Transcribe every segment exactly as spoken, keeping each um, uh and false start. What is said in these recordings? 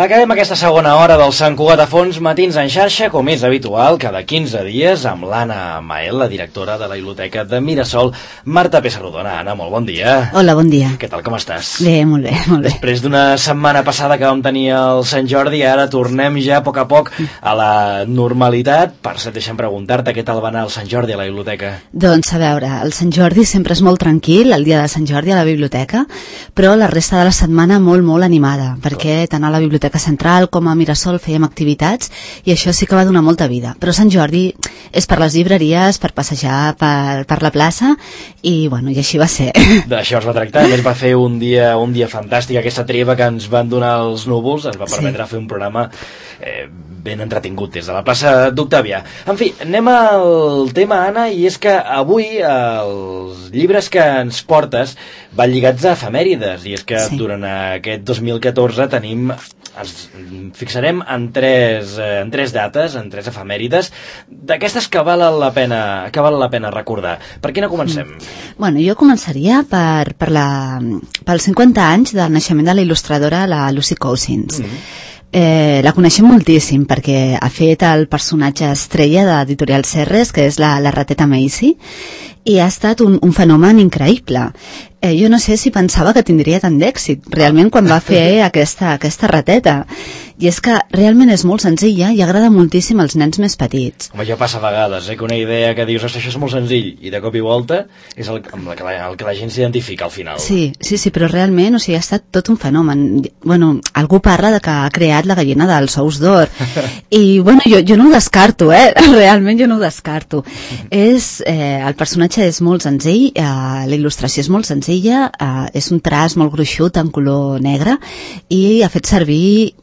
Acabem aquesta segona hora del Sant Cugat a Fons, matins en xarxa, com és habitual, cada quinze dies, amb l'Anna Mael, la directora de la Biblioteca de Mirasol. Marta Pessarrodona. Anna, molt bon dia. Hola, bon dia. Què tal, com estàs? Bé, molt bé, molt bé. Després d'una setmana passada que vam tenir el Sant Jordi, ara tornem ja a poc a poc a la normalitat. Per cert, deixa'm preguntar-te què tal va anar el Sant Jordi a la biblioteca. Doncs, a veure, el Sant Jordi sempre és molt tranquil, el dia de Sant Jordi a la biblioteca, però la resta de la setmana molt, molt animada, perquè tant a la Biblioteca Central com a Mirasol fèiem activitats i això sí que va donar molta vida. Però Sant Jordi és per les llibreries, per passejar per, per la plaça i, bueno, i així va ser. D'això es va tractar. A més, va fer un dia, un dia fantàstic. Aquesta treva que ens van donar els núvols ens va permetre sí. fer un programa eh, ben entretingut des de la plaça d'Octàvia. En fi, anem al tema, Anna, i és que avui els llibres que ens portes van lligats a efemèrides, i és que sí. durant aquest dos mil catorze tenim, ens fixarem en tres, en tres dates, en tres efemèrides, d'aquestes que valen la pena, que valen la pena recordar. Per quina comencem? Mm. Bueno, jo començaria per, per la, pels cinquanta anys del naixement de la il·lustradora, la Lucy Cousins. Mm. Eh, la coneixem moltíssim perquè ha fet el personatge estrella d'Editorial Serres, que és la, la rateta Macy, i ha estat un, un fenomen increïble. Eh, jo no sé si pensava que tindria tant d'èxit realment quan va fer aquesta, aquesta rateta. I és que realment és molt senzilla i agrada moltíssim als nens més petits. Home, ja passa a vegades, eh, que una idea que dius, això és molt senzill, i de cop i volta és el, amb la que la, el que la gent s'identifica al final. Sí, sí, sí, però realment, o sigui, ha estat tot un fenomen. Bueno, algú parla de que ha creat la gallina dels ous d'or. I, bueno, jo, jo no ho descarto, eh? Realment jo no ho descarto. és, eh, el personatge és molt senzill, eh, la il·lustració és molt senzilla, eh, és un traç molt gruixut en color negre i ha fet servir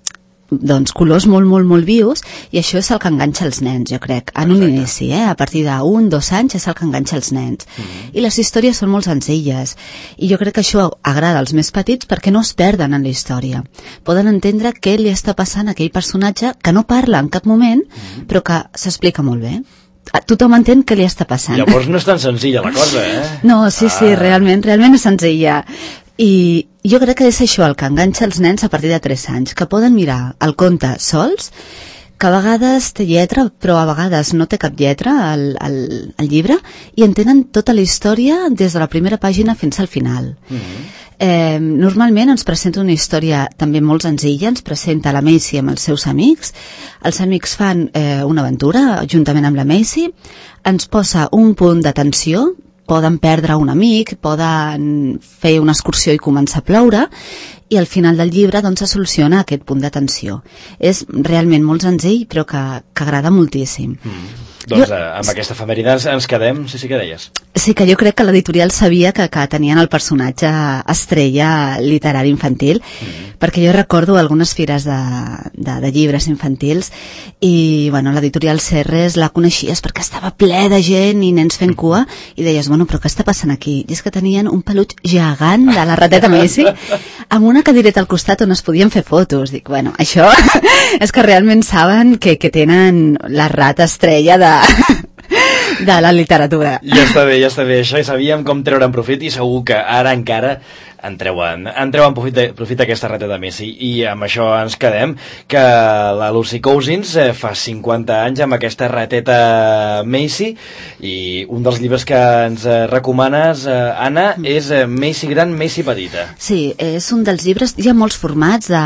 doncs colors molt, molt, molt vius, i això és el que enganxa els nens, jo crec, en un Exacte. inici, eh? A partir d'un, dos anys és el que enganxa els nens. Mm-hmm. I les històries són molt senzilles, i jo crec que això agrada als més petits perquè no es perden en la història. Poden entendre què li està passant a aquell personatge que no parla en cap moment, mm-hmm. però que s'explica molt bé. Tothom entén què li està passant. Llavors no és tan senzilla la cosa, eh? No, sí, ah. sí, realment, realment és senzilla. I jo crec que és això el que enganxa els nens a partir de tres anys, que poden mirar el conte sols, que a vegades té lletra, però a vegades no té cap lletra al, al, al llibre, i entenen tota la història des de la primera pàgina fins al final. Mm-hmm. Eh, normalment ens presenta una història també molt senzilla, ens presenta la Macy amb els seus amics, els amics fan eh, una aventura juntament amb la Macy, ens posa un punt de tensió, poden perdre un amic, poden fer una excursió i començar a ploure, i al final del llibre doncs se soluciona aquest punt de tensió. És realment molt senzill, però que, que agrada moltíssim. Mm. Doncs jo, eh, amb aquesta efemèride ens, ens quedem, sí, sí que deies. Sí, que jo crec que l'editorial sabia que, que tenien el personatge estrella literari infantil, mm-hmm. perquè jo recordo algunes fires de, de, de llibres infantils i, bueno, l'editorial Serres la coneixies perquè estava ple de gent i nens fent cua, i deies, bueno, però què està passant aquí? I és que tenien un peluig gegant de la rateta Macy amb una cadireta al costat on es podien fer fotos. Dic, bueno, això és que realment saben que, que tenen la rata estrella de de la literatura. Ja està bé, ja està bé. Això i sabíem com treure'n profit, i segur que ara encara en treuen, en treuen profit, de, profit d'aquesta rateta Macy. I amb això ens quedem, que la Lucy Cousins eh, fa cinquanta anys amb aquesta rateta Macy, i un dels llibres que ens eh, recomanes, eh, Anna, és eh, Macy gran, Macy petita. Sí, és un dels llibres, hi ha molts formats de,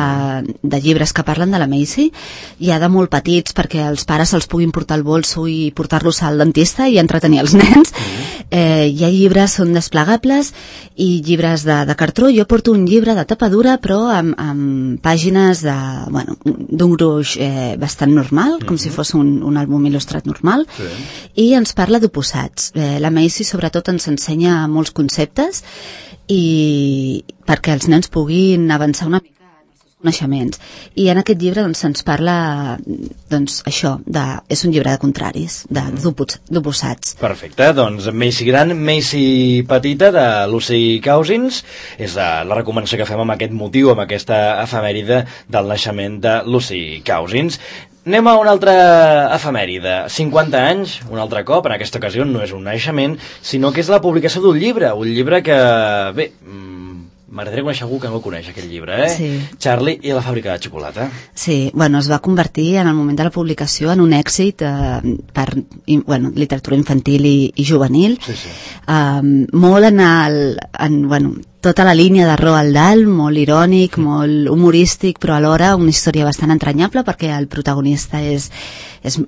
de llibres que parlen de la Macy, hi ha de molt petits perquè els pares els puguin portar al bolso i portar-los al dentista i entretenir els nens. Mm-hmm. eh, hi ha llibres són desplegables i llibres de, de cartró. Jo porto un llibre de tapa dura però amb, amb pàgines de, bueno, d'un gruix eh, bastant normal, com mm-hmm. si fos un, un àlbum il·lustrat normal, sí. I ens parla d'oposats. Eh, la Macy sobretot ens ensenya molts conceptes i perquè els nens puguin avançar una mica coneixements. I en aquest llibre doncs, se'ns parla doncs, això, de, és un llibre de contraris, d'oposats. Perfecte, doncs Macy gran, Macy petita, de Lucy Cousins, és la, la recomanació que fem amb aquest motiu, amb aquesta efemèride del naixement de Lucy Cousins. Anem a una altra efemèride. cinquanta anys, un altre cop, en aquesta ocasió no és un naixement, sinó que és la publicació d'un llibre, un llibre que, bé, m'agradaria conèixer algú que no el coneix, aquest llibre, eh? Sí. Charlie i la fàbrica de xocolata. Sí, bueno, es va convertir en el moment de la publicació en un èxit eh, per i, bueno, literatura infantil i, i juvenil. Sí, sí. Um, molt en, el, en bueno, tota la línia de Roald Dahl, molt irònic, mm. molt humorístic, però alhora una història bastant entranyable perquè el protagonista és, és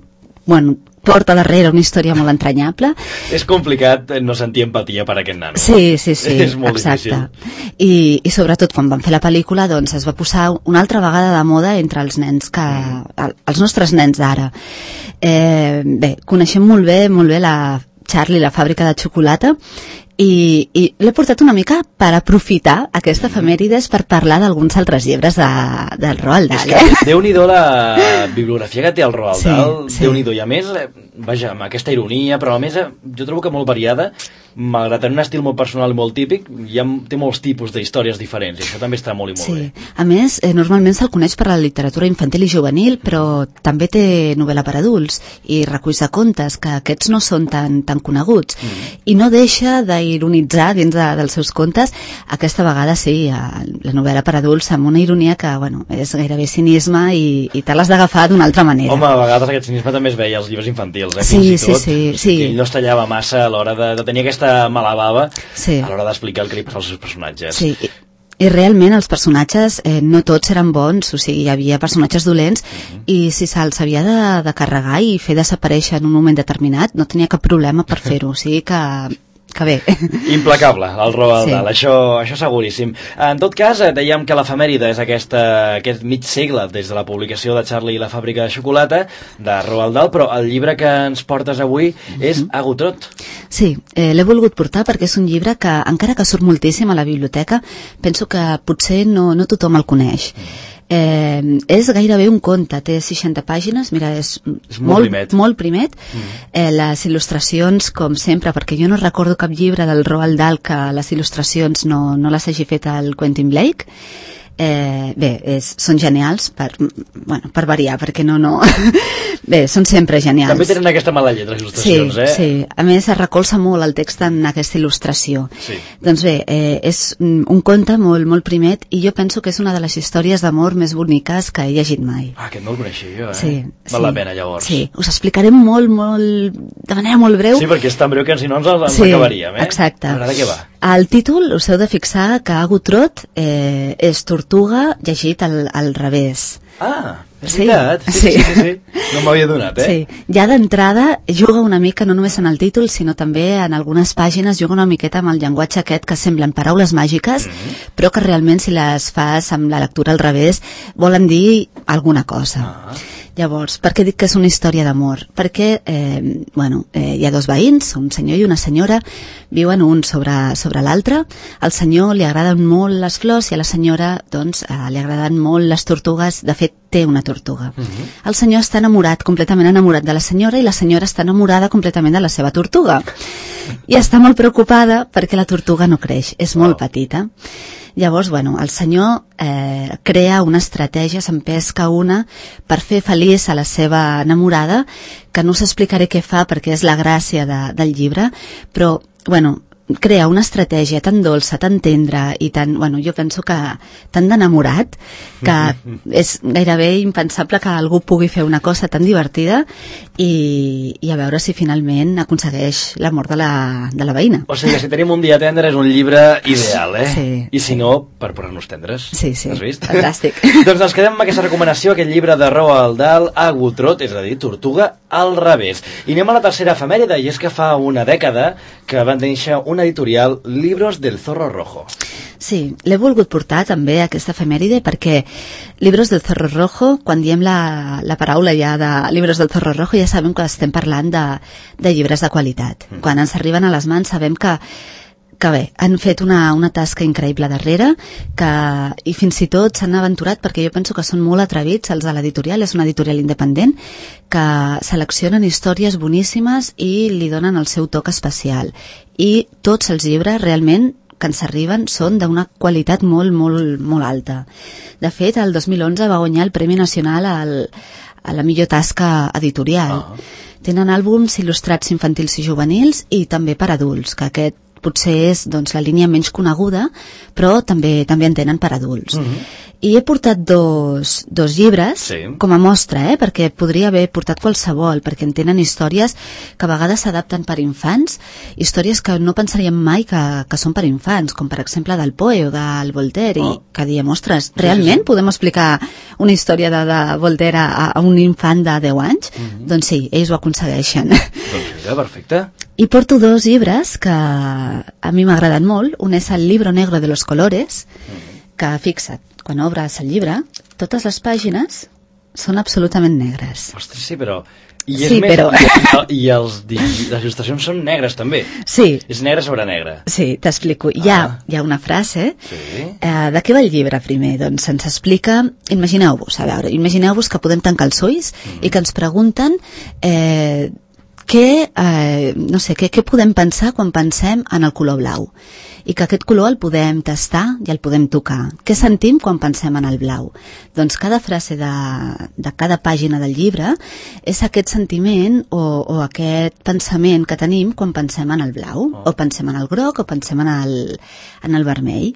bueno, porta darrere una història molt entranyable. És complicat no sentir empatia per aquest nano. Sí, sí, sí, és molt exacte. difícil. I, I sobretot quan van fer la pel·lícula doncs es va posar una altra vegada de moda entre els nens que, mm. els nostres nens d'ara. Eh, bé, coneixem molt bé, molt bé la Charlie, la fàbrica de xocolata, i, i l'he portat una mica per aprofitar aquesta efemèrides per parlar d'alguns altres llibres de, del Roald Dahl. És que Déu-n'hi-do la bibliografia que té el Roald Sí, Dahl, sí. Déu-n'hi-do, i a més, eh, vaja, amb aquesta ironia, però a més eh, jo trobo que molt variada, malgrat tenir un estil molt personal i molt típic, hi ha, té molts tipus d'històries diferents, i això també està molt i molt Sí. bé. A més, eh, normalment se'l coneix per la literatura infantil i juvenil, però també té novel·la per adults i reculls de contes, que aquests no són tan, tan coneguts. Mm. I no deixa d'ironitzar dins de, dels seus contes, aquesta vegada sí, la novel·la per adults, amb una ironia que, bueno, és gairebé cinisme i, i te l'has d'agafar d'una altra manera. Home, a vegades aquest cinisme també es veia als llibres infantils, eh? Sí, Fins i sí, tot, sí, o sigui, sí. que ell no es tallava massa a l'hora de, de tenir aquesta mala bava Sí. a l'hora d'explicar el que li passa als seus personatges. Sí, i, i realment els personatges eh, no tots eren bons, o sigui, hi havia personatges dolents uh-huh. i si se'ls havia de, de carregar i fer desaparèixer en un moment determinat no tenia cap problema per fer-ho, o sigui que que bé. Implacable, el Roald Sí. Dahl, això, això seguríssim. En tot cas, eh, dèiem que l'efemèride és aquesta, aquest mig segle des de la publicació de Charlie i la fàbrica de xocolata de Roald Dahl, però el llibre que ens portes avui és Agutrot. Sí, eh, l'he volgut portar perquè és un llibre que, encara que surt moltíssim a la biblioteca, penso que potser no, no tothom el coneix. Eh, és gairebé un conte, té seixanta pàgines, mira, és, és molt, molt primet, molt primet. Mm. Eh, les il·lustracions, com sempre, perquè jo no recordo cap llibre del Roald Dahl que les il·lustracions no, no les hagi fet el Quentin Blake. Eh, bé, és, són genials per, bueno, per variar, perquè no, no bé, són sempre genials. També tenen aquesta mala lletra, les il·lustracions, sí, eh? Sí, a més es recolza molt el text en aquesta il·lustració. Sí. Doncs bé, eh, és un conte molt, molt primet i jo penso que és una de les històries d'amor més boniques que he llegit mai. Ah, aquest no el coneixia jo, eh? Sí, Val sí, la pena, llavors. Sí, us explicarem molt, molt, de manera molt breu. Sí, perquè és tan breu que si no ens, ens sí, acabaríem, eh? Exacte. A veure, de què va? El títol, us heu de fixar que Agutrot eh, és tortuga llegit al, al revés. Ah, és Sí, veritat. Sí, sí, sí, sí, sí. No m'havia donat, eh? Sí, ja d'entrada juga una mica no només en el títol, sinó també en algunes pàgines juga una miqueta amb el llenguatge aquest que semblen paraules màgiques, mm-hmm. però que realment si les fas amb la lectura al revés volen dir alguna cosa. Ah. Llavors, per què dic que és una història d'amor? Perquè, eh, bueno, eh, hi ha dos veïns, un senyor i una senyora, viuen un sobre, sobre l'altre. Al senyor li agraden molt les flors i a la senyora, doncs, eh, li agraden molt les tortugues. De fet, té una tortuga. Uh-huh. El senyor està enamorat, completament enamorat de la senyora, i la senyora està enamorada completament de la seva tortuga. I està molt preocupada perquè la tortuga no creix, és molt oh. petita. Llavors, bueno, el senyor eh, crea una estratègia, se'n pesca una per fer feliç a la seva enamorada, que no us explicaré què fa perquè és la gràcia de, del llibre, però, bueno, crea una estratègia tan dolça, tan tendra i tan, bueno, jo penso que tan d'enamorat que és gairebé impensable que algú pugui fer una cosa tan divertida i, i a veure si finalment aconsegueix l'amor de la, de la veïna. O sigui que si tenim un dia tendre és un llibre ideal, eh? Sí. I si no, per posar-nos tendres. Sí, sí. Has vist? Fantàstic. Doncs ens quedem amb aquesta recomanació, aquest llibre de Roald Dahl, Agutrot, és a dir, Tortuga al revés. I anem a la tercera efemèride, i és que fa una dècada que van néixer una editorial, Libros del Zorro Rojo. Sí, l'he volgut portar també aquesta efemèride perquè Libros del Zorro Rojo, quan diem la, la paraula ja de Libros del Zorro Rojo, ja sabem que estem parlant de, de llibres de qualitat. Mm. Quan ens arriben a les mans sabem que que bé, han fet una, una tasca increïble darrere, que, i fins i tot s'han aventurat, perquè jo penso que són molt atrevits els de l'editorial, és una editorial independent, que seleccionen històries boníssimes i li donen el seu toc especial. I tots els llibres realment que ens arriben són d'una qualitat molt, molt, molt alta. De fet, el dos mil onze va guanyar el Premi Nacional al, a la millor tasca editorial. Uh-huh. Tenen àlbums il·lustrats infantils i juvenils i també per adults, que aquest potser és doncs, la línia menys coneguda, però també també en tenen per adults. Mm-hmm. I he portat dos, dos llibres sí. com a mostra, eh? Perquè podria haver portat qualsevol, perquè en tenen històries que a vegades s'adapten per infants, històries que no pensaríem mai que, que són per infants, com per exemple del Poe o del Voltaire, oh. i que diem, ostres, realment sí, sí. podem explicar una història de, de Voltaire a, a un infant de deu anys? Mm-hmm. Doncs sí, ells ho aconsegueixen. Doncs mira, perfecte. I porto dos llibres que a mi m'agraden molt. Un és el Libro Negro de los Colores, mm-hmm. que, fixa't, quan obres el llibre, totes les pàgines són absolutament negres. Ostres, sí, però... I, és sí, més, però... i, i els, les il·lustracions són negres, també. Sí. És negre sobre negre. Sí, t'explico. Ah. Hi, ha, hi ha una frase... Sí. Eh, de què va el llibre, primer? Doncs ens explica... Imagineu-vos, a veure, imagineu-vos que podem tancar els ulls mm. i que ens pregunten... Eh, què, eh, no sé, què, què podem pensar quan pensem en el color blau? I que aquest color el podem tastar i el podem tocar. Què sentim quan pensem en el blau? Doncs cada frase de, de cada pàgina del llibre és aquest sentiment o, o aquest pensament que tenim quan pensem en el blau, oh. o pensem en el groc, o pensem en el, en el vermell.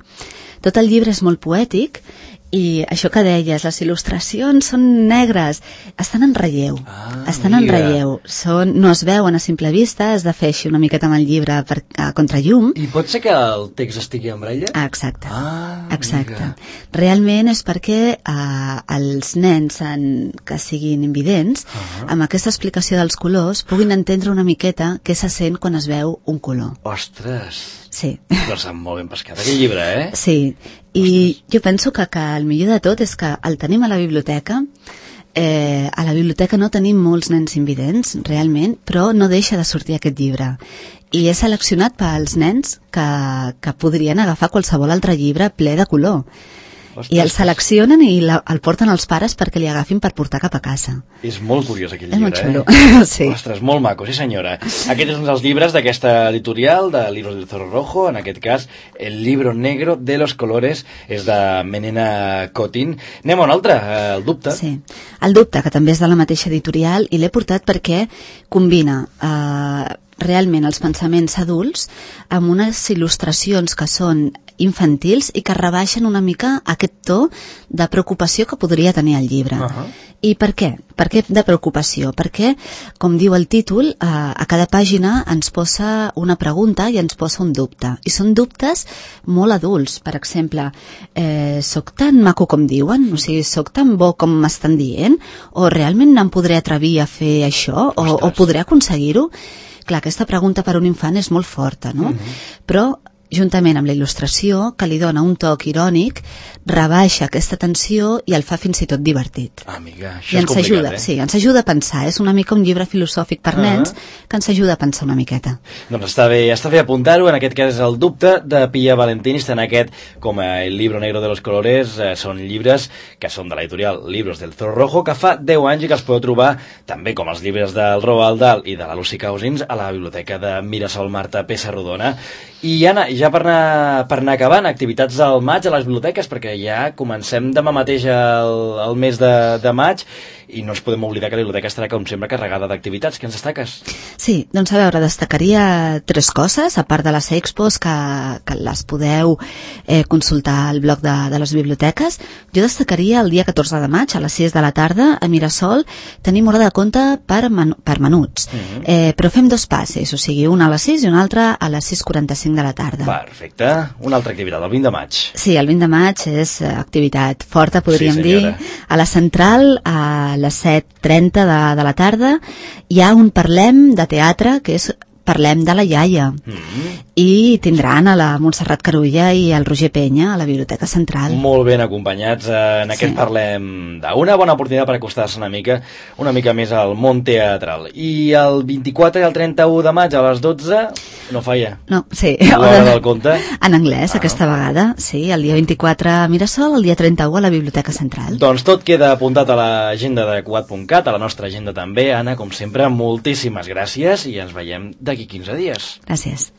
Tot el llibre és molt poètic i això que deies, les il·lustracions són negres, estan en relleu, ah, estan mira. en relleu, són, no es veuen a simple vista, has de fer així una miqueta amb el llibre per, a contrallum. I pot ser que el text estigui en braille? Ah, exacte, ah, exacte. Mira. Realment és perquè eh, els nens en, que siguin invidents, uh -huh. amb aquesta explicació dels colors, puguin entendre una miqueta què se sent quan es veu un color. Ostres! Sí. Però s'ha molt ben pescat aquest llibre, eh? Sí, i Ostres. jo penso que, que el millor de tot és que el tenim a la biblioteca. Eh, a la biblioteca no tenim molts nens invidents, realment, però no deixa de sortir aquest llibre. I és seleccionat pels nens que, que podrien agafar qualsevol altre llibre ple de color. Ostres. I el seleccionen i la, el porten als pares perquè li agafin per portar cap a casa. És molt curiós aquell és llibre, molt xulo. eh? Sí. Ostres, molt maco, sí senyora. Aquest és un dels llibres d'aquesta editorial, de Libros del Zorro Rojo, en aquest cas, El Libro Negro de los Colores, és de Menena Cotin. Anem a un altre, El Dubte. Sí, El Dubte, que també és de la mateixa editorial, i l'he portat perquè combina... Eh, realment els pensaments adults amb unes il·lustracions que són infantils i que rebaixen una mica aquest to de preocupació que podria tenir el llibre. Uh-huh. I per què? Per què de preocupació? Perquè, com diu el títol, a, a cada pàgina ens posa una pregunta i ens posa un dubte. I són dubtes molt adults. Per exemple, eh, soc tan maco com diuen? O sigui, soc tan bo com m'estan dient? O realment em podré atrevir a fer això? O, o podré aconseguir-ho? Clar, aquesta pregunta per a un infant és molt forta, no? Mm-hmm. Però, juntament amb la il·lustració, que li dona un toc irònic, rebaixa aquesta tensió i el fa fins i tot divertit. Ah, amiga, això I és ens complicat, ajuda, eh? Sí, ens ajuda a pensar. És una mica un llibre filosòfic per uh-huh. nens que ens ajuda a pensar una miqueta. Doncs està bé, està bé apuntar-ho. En aquest cas és El Dubte, de Pia Valentini. Està en aquest, com El Libro Negro de los Colores, eh, són llibres que són de l'editorial Libros del Zorro Rojo, que fa deu anys i que els podeu trobar, també com els llibres del Roald Dahl i de la Lucy Cousins, a la biblioteca de Mirasol Marta Pessarrodona. I Anna, ja per anar, per anar acabant, activitats al maig a les biblioteques, perquè ja comencem demà mateix el, el mes de, de maig i no ens podem oblidar que la biblioteca estarà com sempre carregada d'activitats. Què ens destaques? Sí, doncs a veure, destacaria tres coses, a part de les expos que, que les podeu eh, consultar al blog de, de les biblioteques. Jo destacaria el dia catorze de maig a les sis de la tarda a Mirasol tenim hora de compte per, men per menuts, uh-huh. eh, però fem dos passes, o sigui, una a les sis i una altra a les sis quaranta-cinc de la tarda. Perfecte. Una altra activitat, el vint de maig. Sí, el vint de maig és activitat forta, podríem sí, dir. A la Central, a les set trenta de, de la tarda, hi ha un Parlem de teatre, que és Parlem de la iaia. Mm-hmm. I tindran a la Montserrat Carulla i el Roger Penya a la Biblioteca Central. Molt ben acompanyats en aquest sí. Parlem d'una bona oportunitat per acostar-se una mica una mica més al món teatral. I el vint-i-quatre i el trenta-u de maig a les dotze no falla. No, sí. L'hora del conte. En anglès, ah. aquesta vegada. Sí, el dia vint-i-quatre a Mirasol, el dia trenta-u a la Biblioteca Central. Doncs tot queda apuntat a l'agenda de Cugat punt cat, a la nostra agenda també. Anna, com sempre, moltíssimes gràcies i ens veiem d'aquí quinze dies. Gràcies.